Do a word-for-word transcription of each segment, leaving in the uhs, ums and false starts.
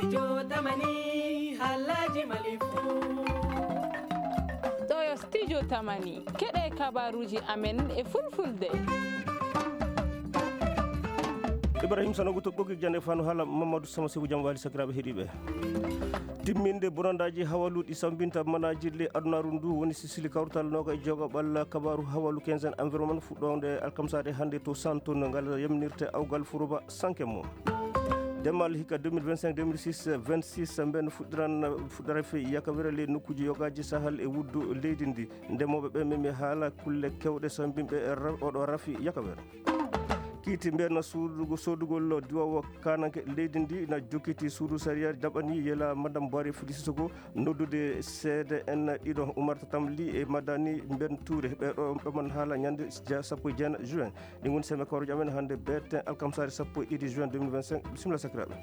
Studio Tamani, halaji malifu. Ɗo yo Studio Tamani, keɗe kabaruji amen e fulfulde. Ibrahim Sanogo to ɓoggik jande fano hala Mamadou Sama Sebu jam wali sakiraɓe heɗiɓe. Timminde bonandaji hawaluɗi sambinta manajille adunaru ndu woni sisili kawtal noga e joga ɓalla kabaru hawalu quinzaine environnement fuɗɗode alkamsade hande to santo no ngal yamnirte awgal furuba sanke mo. Demal hikka deux mille vingt-cinq deux mille six vingt-six mben fuɗɗiran fuɗɗara fe yakawere le nokkuji yogaji sahal e wuddu leydi ndi. Ndemoɓe ɓe memi haala kulle kewɗe sambinɓe e ra- oɗo rafi yakawere. Kiiti mben suudugo sodugol diwawo kananke leydi ndi na jokkiti suudu sariya jaɓani yela madame Boire Fodisoko noddude seede en ɗiɗo Umar Tatamli e Madani Mben Touré. Ɓeɗo ɓeman haala ñande ja sappo e jeenayi juin. Ɗi ngoni seme kawruji amen hannde beeten alkamsare sappo e ɗiɗi juin deux mille vingt-cinq. Bisimilla sakiraɓe.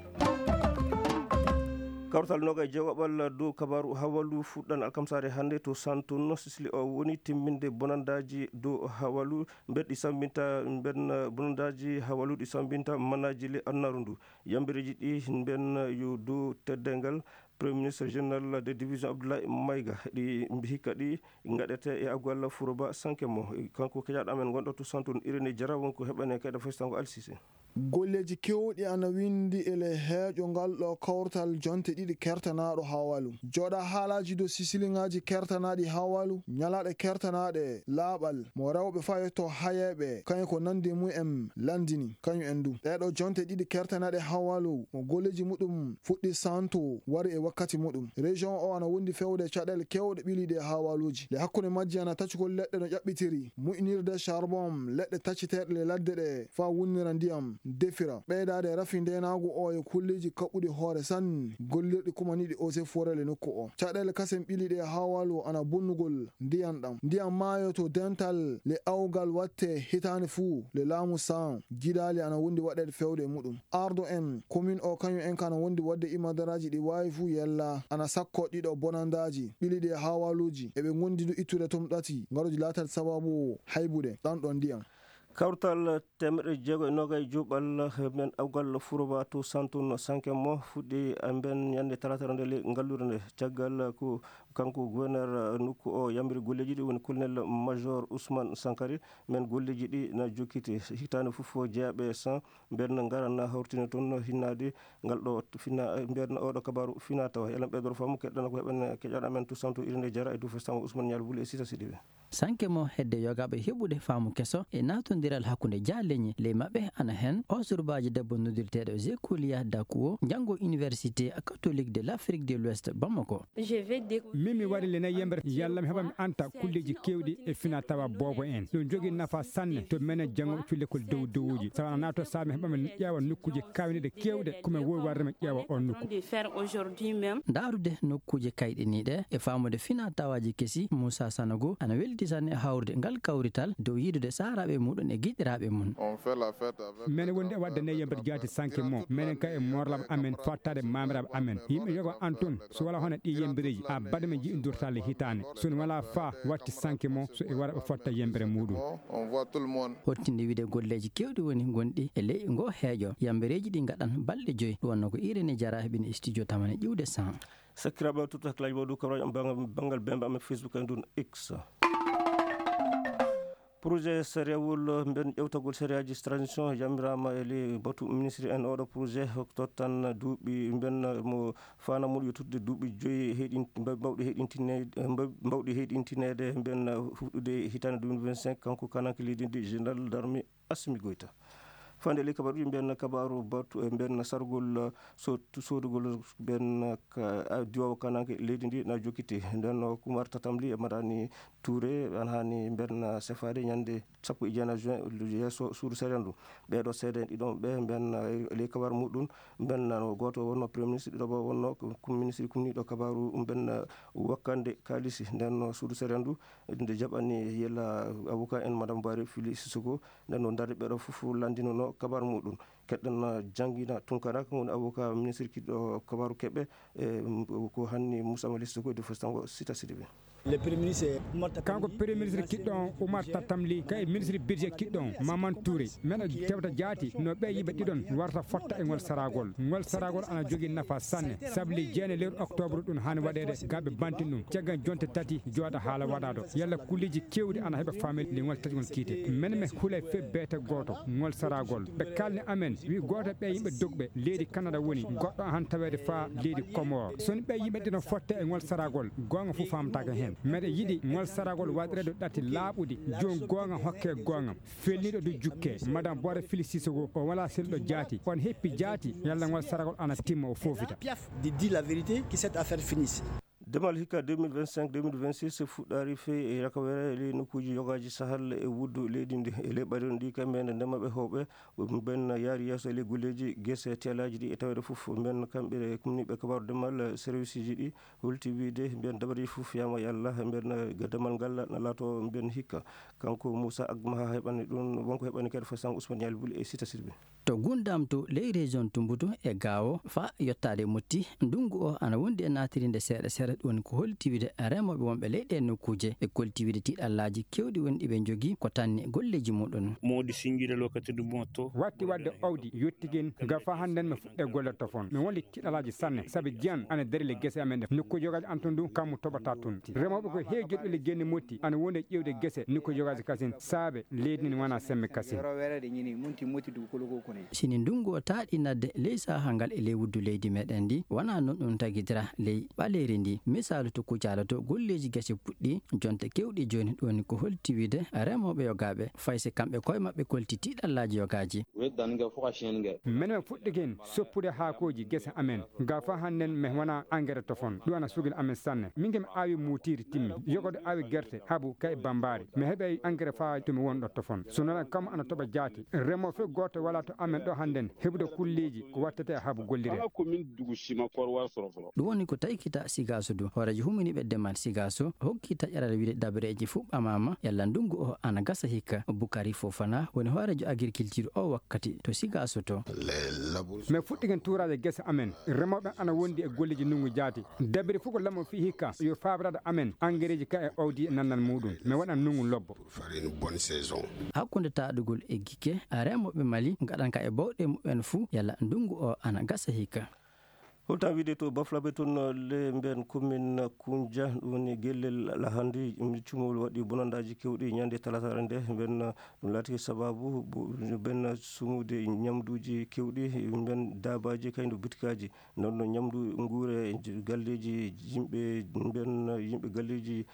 Kawtal noga e jeegoɓal dow kabaru hawalu fuɗɗan alkamsare hannde to Santun Sisili o woni timminde bonandaji dow hawalu mbeɗɗi sambinta mben bonandaji hawalu ɗi sambinta manaji le annaru ndu. Yambireji ɗi mben yo dow teddengal Premier ministre général de division Abdoulaye Maïga ɗi hikka ɗi gaɗete e agwalla furoba sanke mo. Kanko kejaɗo amen gonɗo to Santun Irini Jara wonko heɓane kayɗa festango alsise. Golleeji keewɗi ana winndi e ley heeƴo ngal ɗo kawtal jonte ɗiɗi kertanaaɗo Hawalu. Jooɗa haalaaji dow sisiliŋaaji kertanaaɗi Hawalu, ñalaaɗe kertanaaɗe laaɓal, mo rewɓe fayotoo hayeeɓe, kañum ko nanndi mum en lanndini, kañum en du. Ɗee ɗoo jonte ɗiɗi kertanaaɗe Hawalu, mo golleeji muɗum fuɗɗi santo, wari e wakkati muɗum. Région o ana wondi fewde caɗeele keewɗe ɓiliiɗe e Hawaluuji. Le hakkunde majji ana tacugol leɗɗe no ƴaɓɓitiri, muƴnirde charbon, leɗɗe tacciteeɗe le ladde ɗe, faa wunnira ndiyam, defira. Ɓeydaade rafi ndeenaagu o e kulleeji kaɓɓuɗi hoore sanne, gollirɗi kumaniiɗi eaux et forêts le nokku o. Caɗeele kasen ɓiliiɗe e Hawalu ana bonnugol ndiyam ɗam. Ndiyam maayo to dental le awgal watte hitaande fuu le laamu Saan. Jidaali ana wondi waɗeede fewde e muɗum. Ardo en, commune o kañum en kana wondi waɗde imadaraaji ɗi waawi fuu yella. Ana sakko ɗiɗo bonandaaji, ɓiliiɗi e Hawaluuji. Eɓe ngondi du ittude tom ɗati, ngaruji laatat sababu haybude ɗan ɗon ndiyam. Kawtal teemeɗɗe jeego e noogay juuɓal men awgal furoba to Santun Sanke mo fuɗɗi e mben ñande talaata nde le ngalluure nde. Caggal ko kanko gouverneur nokku o yambiri golleeji ɗi woni colonel major Ousmane Sankari, men golleeji ɗi na jokkiti hitaande fof jeeyaɓe san mben ngara na hawrtina toon hinnaade ngal ɗo fina mben oɗo kabaru fina tawa. Elan ɓeydoro faamu keɗɗana ko heɓen keƴaɗo amen to Santu Irinde Jara e Dufo Sango Ousmane Ñal Wuli e Sita Sidiɓe. Sanke mo hedde yogaaɓe heɓude faamu keso e naatondiral hakkunde jaaleñi ley maɓɓe ana heen o surbaajo debbo noddirteeɗo Zekuliya Dakuwo, njanngo Université Catholique de l'Afrique de l'Ouest Bamako. Min mi wari le nayi yembre yalla mi heɓa mi anta kulleeji keewɗi e fina tawa boobo en. Ɗum jogii nafa sanne to menen janngo cullekol dow dowuji. Sawa na naato sa mi heɓa mi ƴeewa nokkuuje kawniɗe keewɗe ko mi wowi warde mi ƴeewa on nokku. Ndaarude nokkuuje kayɗiniiɗe e faamude fina tawaaji kesi, Muusa Sanogo ana welti sanne hawrude ngal kawrital dow yiidude saaraaɓe muɗum e giɗiraaɓe mum. Menen wondi e waɗde nayi yembre jaati sanke mo. Menen ka e morlaɓe amen fottaade maamiraaɓe amen. Yimɓe yogo an tun so wala hono ɗi yembereeji a baɗa men jiɗi durtaale hitaande. So ne wala fa watti sanke mo so e wara ɓe fotta yembere muɗum. Hottinde wiide golleeji keewɗi woni gonɗi e ley ngo heeƴo. Yambereeji ɗi ngaɗan balɗe joyi. Ɗum wonno ko Irene Jara heɓini e studio tamane ƴiwde san. Sakkiraaɓe, tutto hakkilaaji mawɗo kabaruji am banngal, banngal bemba amen Facebook e ndun X. Projet sariawol mben ƴewtagol sariyaji transition yamiraama e ley batu ministre en oɗo projet tottan duuɓi mben mo fana mum yo tutde duuɓi joyi heyɗin-, mbaw-, mbawɗi heyɗintineede, mbaw-, mbawɗi heyɗintineede mben huɗude hitaande deux mille vingt-cinq. Kanko kananke leydi ndi général d'armée Assimi Goïta. Fande ley kabaruji mben kabaru batu e mben sargol so-, sodugol mben ka-, a, diwawo kananke leydi ndi na jokkiti. Nden o Kumar Tatamli e Madani Touré, an hani mben sefaade ñande sappo e jeenayi juin yeeso suudu sariya ndu. Ɓeeɗo seede en ɗiɗon ɓe mben, eh, ley kabar muɗum, mben no gooto wonno premier ministre, ɗiɗo bo wonno ko, ko ministre kumniiɗo kabaru mben, eh, wakkande kaalisi. Nden no suudu sariya ndu nde jaɓani yela avocat en madame Bari Fili Sissoko. Nden no darde ɓeeɗo fof lanndinono kabar muɗum. Keɗɗen, eh, Jangina Tunkara, ko woni avocat ministre kiɗɗo kabaru keɓe, eh, ko hanni Moussa Mali Sissoko e Dufo Sango Sita Sidibe. Kanko premier ministre kiɗɗo on, Oumar Tatamli, ka e ministre budget kiɗɗo on, Maman Touré. Men tewta jaati no ɓe yimɓe ɗiɗon warta fotta e ngol saragol. Ngol saragol ana jogii nafa sanne, sabli jeene lewru octobre ɗum haani waɗeede, gaɓe bantin ɗum. Caggal jonte tati jooɗa haala waɗaado. Yalla kulliiji keewɗi ana heɓa faamilde ngol taƴgol kiite. Men men hulay fe beete gooto, ngol saragol. Ɓe kalni amen, wi gooto ɓe yimɓe dogɓe, leydi Kanada woni, goɗɗo han taweede faa leydi Komor. So ni ɓe yimɓe ɗiɗon fotte e ngol saragol, goonga fof faamtaake heen. Meɗe yiɗi ngol saragol waɗireede ɗati laaɓuɗi, joom goonga hokke goonga. Felniiɗo du jukke, Madame Bora Fili Sissoko, o wala selluɗo jaati. On heppi jaati, yalla ngol saragol ana timma o foofita. Piaf de dire la vérité, que cette affaire finisse. Demal hikka deux mille vingt-cinq deux mille vingt-six fuɗɗaari fey e rakawere e ley nokkuuji yogaaji sahal e wuddu leydi ndi. E ley ɓadiron ɗi kamɓe nde ndema ɓe hooɓe, mben yaari yeeso e ley golleeji gese teelaaji ɗi e taweede fof. Mben kamɓe kumniiɓe kabaaru demal serviceji ɗi holti wiide mben dabareeji fof yama e Allah, mben demal ngal na laato mben hikka. Kanko Moussa Agmaha heɓani ɗum, wonko heɓani kadi fo sang Ousmane Yali Buli e Sita Sirbe. To Gundam to ley région Tumbutu e Gaawo fa yottaade Motti, ndungu o ana wondi e naatirinde seeɗa seeɗa, ɗum woni ko holti wiide remooɓe wonɓe ley ɗee nokkuuje e kolti wiide tiiɗallaaji keewɗi woni ɗi ɓe njogii ko tanni golleeji muɗum. Moodi sinjire lokati ndu mootto. Watti waɗde owdi yottigen, ga fa hannden mi fuɗɗe golle tofon. Mi wondi tiiɗallaaji sanne, sabi jiyan ana dari le gese amen ɗe. Nokkuuje yogaaji an tun du, kammu toɓata tun. Remooɓe ko heewi joɗɗude genni Motti, ana wondi e ƴeewde gese, nokkuuje yogaaji kasin, saabe leydi ndin wona sembe kasin. Sini ndungu o taaɗi nadde ley saha ngal e ley wuddu leydi meɗen ndi, wona non ɗum tagitira ley ɓaleeri ndi. Misaalu to Kucala to golleeji gese puɗɗi, jonte kewɗi jooni, ɗum woni ko holti wiide remooɓe yogaaɓe, fay si kamɓe koye maɓɓe kolti tiiɗallaaji yogaaji. Menen fuɗɗiken soppude haakooji gese amen. Ga fa hannden mi wona engrais tofon. Ɗum ana sugil amen sanne. Min ke mi aawi muutiiri timmi. Yogodo aawi gerte, habu kay bambaari. Mi heɓay engrais faa to mi wonɗo tofon. So non kam ana toɓa jaati. Remo fe gooto wala to amen ɗo hannden heɓude kulleeji ko wattete e habu gollire. Kala ko min dugu sima korwa soroforo. Ɗum woni ko taykita Sigaaso du. Hooreejo huminiiɓe demal Sigaaso hokki taƴaral wiide dabareeji fuu ɓamaama yalla ndungu o ana gasa hikka. Bukari Fofana woni hooreejo agriculture o wakkati to Sigaaso to. Mi fuɗɗiken tuuraaje gese amen. Remooɓe ana wondi e golleeji ndungu jaati. Dabiri fof ko lamo fii hikka yo faabrade amen angereeji ka e owdi e nannal muuɗum. Mi waɗan ndungu lobbo. Hakkunde taaɗugol e gikke, remooɓe Mali ngaɗan ka e bawɗe muɓɓen fuu yalla ndungu o ana gasa hikka. Holta wiide to Baflabe toon le mben commune Kunja, ɗum woni gellel lahandi, cumol waɗi bonandaaji kewɗi ñande talatare nde. Mben ɗum laati sababu bo-, mben sumude ñamduuji kewɗi, mben daabaaji kayno butikaaji. Noon no ñamdu nguure galleeji yimɓe, mben yimɓe galleeji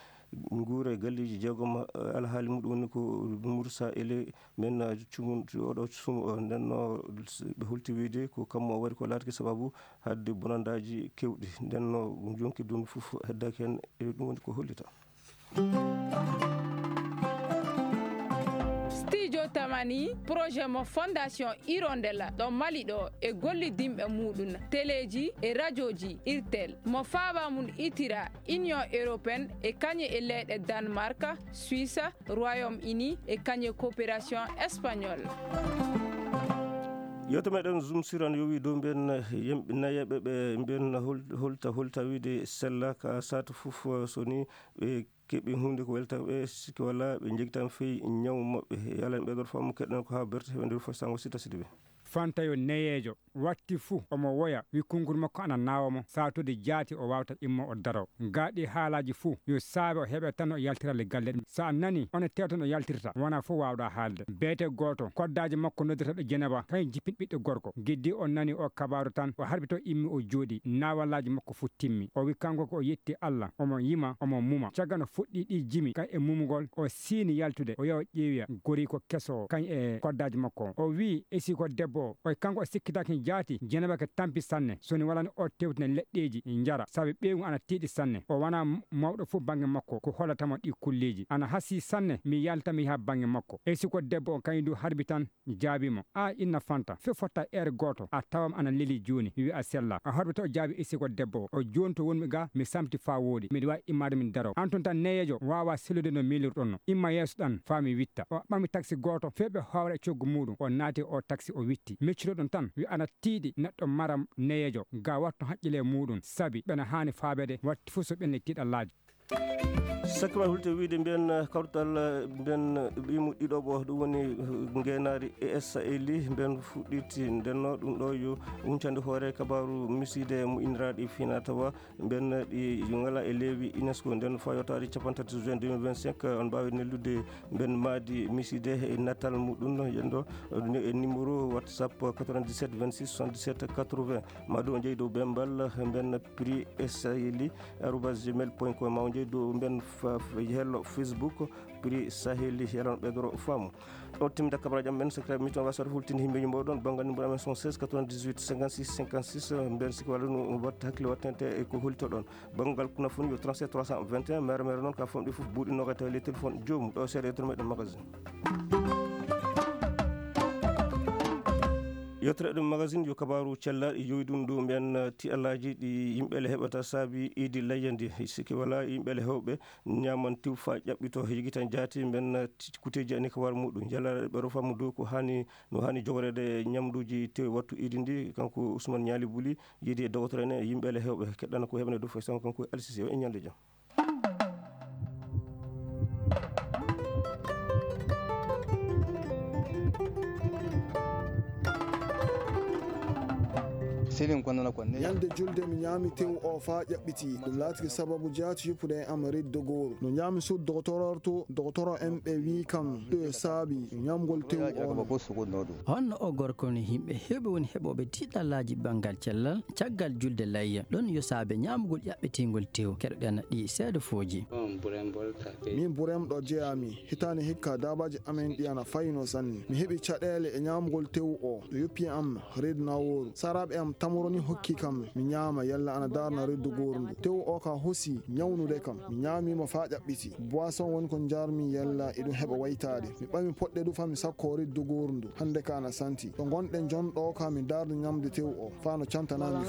nguure galleeji jeegom, eh, alhaali muɗum woni ko Mursa Ele, men, eh, cumun, oɗo sumu, eh, nden no ɓe hulti wiide ko kammu o waɗi ko laatiki sababu haɗde bonandaaji kewɗi. Nden no jonki ɗum fof heddaki heen, e ɗum woni ko hollita. Studio Tamani, projet mo Fondation Hirondelle ɗo Mali ɗo e gollidinɓe muɗum, teleeji e rajooji Irtel, mo faaba mum itira Union Européenne e kañe e leyɗe Danemark, Suisse, Royaume-Uni e kañe coopération espagnole. Yewte meɗen Zoom Sur ana yowi dow mbiyen yimɓe nayeɓe ɓe mbiyen hol-, holta, holta wiide sella ka saatu fof, so ni ɓe keɓi huunde ko welta ɓe, sikki walla ɓe njegitan fey ñaw maɓɓe. Yalla en ɓeydor faamu keɗen ko haa berte heɓe nder fof sango Sita Sidibe. Fantayo neyeejo watti fuu omo woya, wi konngol makko ana naawa mo, saatuuji jaati o waawta immo o daro. Gaa ɗii haalaaji fuu yo saabe o heɓe tan o yaltira le galle ɗum. So a nani, on tewta no yaltirta, wonaa fof waawɗaa haalde. Beete gooto, koddaajo makko noddirteeɗo Jeneba, kañum jippini ɓiɗɗo gorko. Giddii o nani o kabaaru tan, o harbito immi o jooɗii, naawalaaji makko fuu timmi. O wi kanko ko o yetti Alla, omo yima, omo muma. Caggal no fuɗɗii ɗii jimi, kañum e mumugol, o siini yaltude, o yaha o ƴeewoya goriiko keso o, kañum e koddaajo makko o. O wii, esii ko debbo o. O kanko o sikkitaaki jaati, Jeneba ko tampi sanne. So ni walano o tewtina leɗɗeeji, njara, sabi ɓeyngu ana tiiɗi sanne. O wona m-, mawɗo fof bannge makko, ko hollata mo ɗii kulleeji. Ana hasii sanne, mi yalta mi yaha bannge makko. Esii ko debbo o, kañum du harbi tan, jaabii mo, "A inna Fanta, fii fotta heure gooto, a tawam ana leli jooni, wi a sella." O harbito o jaabii esii ko debbo o. O jooni to wonmi ga, mi samti faa wooɗi. Miɗo waawi immaade min daro. An tun tan neyeejo waawa sellude no miilirɗon no. Imma yeeso ɗan faa mi witta. O ɓami taksi gooto, fii ɓe hoowra e coggu muuɗum. O naati o taksi o witti. Miccuɗo ɗum tan, wi ana tiiɗi neɗɗo maram neyeejo. Ga wattu haqqille muuɗum, sabi ɓena haani faabeede, watti fuu so ɓenni tiiɗallaaji. Sakkima hulte wiide mbiyen kawtal mbiyen ɓimu ɗiɗoɓo ɗum woni ngeenaari E S A L I mbiyen fuɗɗiti ndenno ɗum ɗo yo wuncande hoore kabaru miside mo iniraaɗi fina tawa mbiyen ɗi ngala e leewi UNESCO nden fayotaari capanɗe tati juin deux mille vingt-cinq on mbaawi nellude mbiyen maadi miside e natal muɗum yendo e numéro WhatsApp quatre-vingt-dix-sept vingt-six soixante-dix-sept quatre-vingts. Madu o jeyi dow bembal mbiyen prix S A L I arobase gmail point com ma o jeyi dow mbiyen hello Facebook prix Saheli yalano ɓeydoro faamu. Ɗo timda kabaraaji am men secret mi toon wasata hultinde himɓeji mboɗon banngal numéro amen soixante-seize quatre-vingt-dix-huit cinquante-six cinquante-six mbiyen sikki walla no watta hakkille wattante e ko hultoɗon banngal kuna foni yo trente-sept trois cent vingt et un mere mere noon ka famɗi fof buuɗi noga tawi les téléphones joomum ɗo seeɗa yettoto meɗen magasin. Yettere ɗum magasin yo kabaru cellal yowi ɗum ɗo mbiyen tiɗalaji ɗi yimɓe le heɓata saabi idi layyandi sikki wala yimɓe le hewɓe ñaman tew fa ƴaɓɓito yigitan jaati mbiyen kuteji ani ko war muɗum yalla ɓe rofa mu dow ko hani no hani jogorede ñamduji tew wattu idi ndi kanko Ousmane Ñaali Buli yiidi e dogotore ne yimɓe le hewɓe keɗɗana ko heɓane dow fay sango kanko alsisi o e ñalde jam. Ñalde julde mi ñaami tew o faa ƴaɓɓiti. Ɗum laatiki sababu jaati yuppude e am riddo gooru. No ñaami suud dogotororto dogotoro en ɓe wii kam ɗo e saabi ñamgol tew o. Honno o gorko ni yimɓe heewɓe woni heɓooɓe tiɗallaaji banngal cellal caggal julde layya ɗon yo saabe ñaamugol ƴaɓɓitingol tew keɗoɗen ɗi seedo fooji. Min burem ɗo jeyaami hitaani hikka daabaaji amen ɗi ana fayno sanne mi heɓi caɗeele e ñaamugol tew o no yoppi am reedu nawooru saraaɓe am tamoroni hokki kam mi ñaama yalla ana daarna reedu gooru ndu tew o ka hosi ñawnude kam mi ñaamiima faa ƴaɓɓiti boisson woni ko njarmi yalla eɗum heɓa waytaade mi ɓami poɗɗe du faa mi sakko reedu gooru ndu hannde ka ana santi ɗo ngonɗen jonɗo ka mi daarda ñamde tew o faa no cantanaami.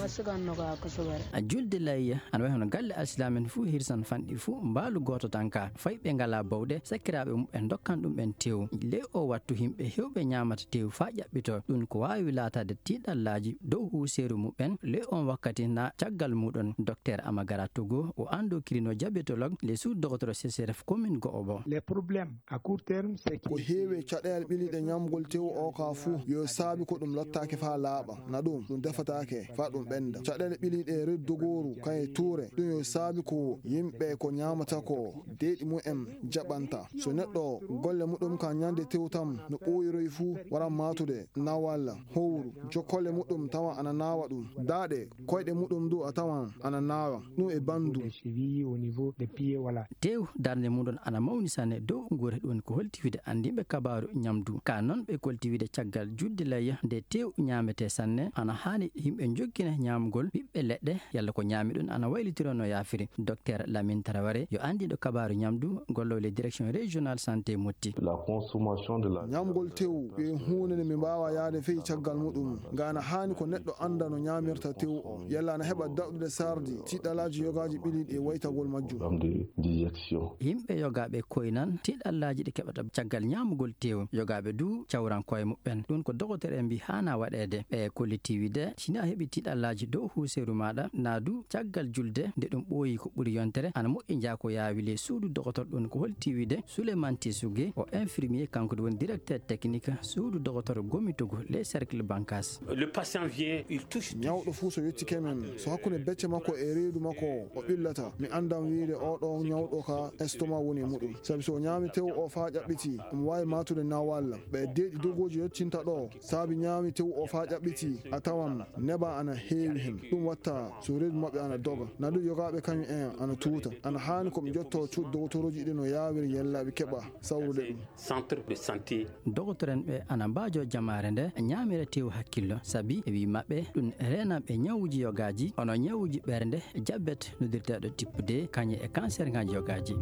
A julde layya ana wayi hono galle alsilamen fuu hirsan fanɗi fuu mbaalu gooto tan ka fay ɓe ngalaa bawɗe sakkiraaɓe muɓɓen ndokkan ɗumɓen tew ley oo wattu yimɓe heewɓe ñaamata tew faa ƴaɓɓitoo ɗum ko waawi laataade tiiɗallaaji dow huuseeru muɓɓen ley oon wakkati na caggal muuɗum dokteer Amagara Togo o anndokirino jabetolog ley suudu dogotoro C C R F commune go'obo. Ko heewi e caɗeele ɓiliiɗe ñaamgol tew oo kaa fuu yo saabi ko ɗum lottaaki faa laaɓa, na ɗum, ɗum defataake faa ɗum ɓennda. Caɗeele ɓiliiɗe e reedu dogooru kam e tuure, ɗum yo saabi ko yimɓe ko ñaamata koo deeɗi mum en jaɓanta. So neɗɗo golle muɗum kaa ñande tew tan no ɓooyiroyi fuu, waran maatude nawal, howru, jokkolle muɗum tawa ana naawa ɗum, daaɗe, koyɗe muɗum duu a tawan ana naawa ɗum e banndu. Tew darnde muɗum ana mawni sanne dow nguure ɗum ko holti wiide anndiiɓe kabaaru ñamdu. Kaa noon ɓe kolti wiide caggal julde layya nde tew ñaametee sanne ana haani yimɓe njokkina ñaamgol ɓiɓɓe leɗɗe yalla ko ñaami ɗum ana waylitiroo no yaafiri. Dokteer Lamin Taraware yo anndiiɗo kabaaru ñamdu gollowo ley direction régional santé Motti. Ñaamgol tew yo huunde nde mi mbaawaa yahde fey caggal muɗum. Nga ana haani ko neɗɗo annda no ñaamirta tew o yalla ana heɓa daɗɗude sardi tiɗɗalaaji yogaaji ɓiliiɗi e waytagol majjum. Yimɓe yogaaɓe koynan tiɗɗallaaji ɗi keɓata caggal ñaamugol tew. Yogaaɓe duu cawran koye muɓɓen. Ɗum ko dogotere'en mbii haanaa waɗeede. Ɓe kollitii wiide si ni a heɓii tiɗɗallaaji dow huuseeru maaɗa naa duu caggal julde nde ɗum ɓooyi ko ɓuri yontere ana moƴƴi njaa ko yaawi ley suudu dogotor. Ɗum ko holti wiide Souleymane Tissougué o infirmier kanko duu woni directeur technique suudu dogotor Gomi Togo ley cercle Bankas. Ñawɗo fuu so yettike men, so hakkunde becce makko e reedu makko o ɓillata, mi anndan wiide oo ɗoo ñawɗo ka estomac woni e muɗum. Sabi so o ñaami tew o faa ƴaɓɓiti, omo waawi maatude nawal. Ɓe deeɗi dogooji yottinta ɗoo, saabi ñaami tew o faa ƴaɓɓiti, a tawan neban ana heewi hen. Ɗum watta so reedu maɓɓe ana doga. Na ɗum yogaaɓe kañum en ana tuuta. Ana haani ko ɓe njottoo cuuɗi dogotorooji ɗi no yaawiri yalla ɓe keɓa sawrude ɗum. Dogotoren ɓe ana mbaajoo jamaare nde ñaamira tew hakkillo sabi e wii maɓɓe ɗum reenan ɓe ñawuuji yogaaji hono ñawuuji ɓernde, jabet noddirteeɗo type deux kañum e kanserŋaaji yogaaji.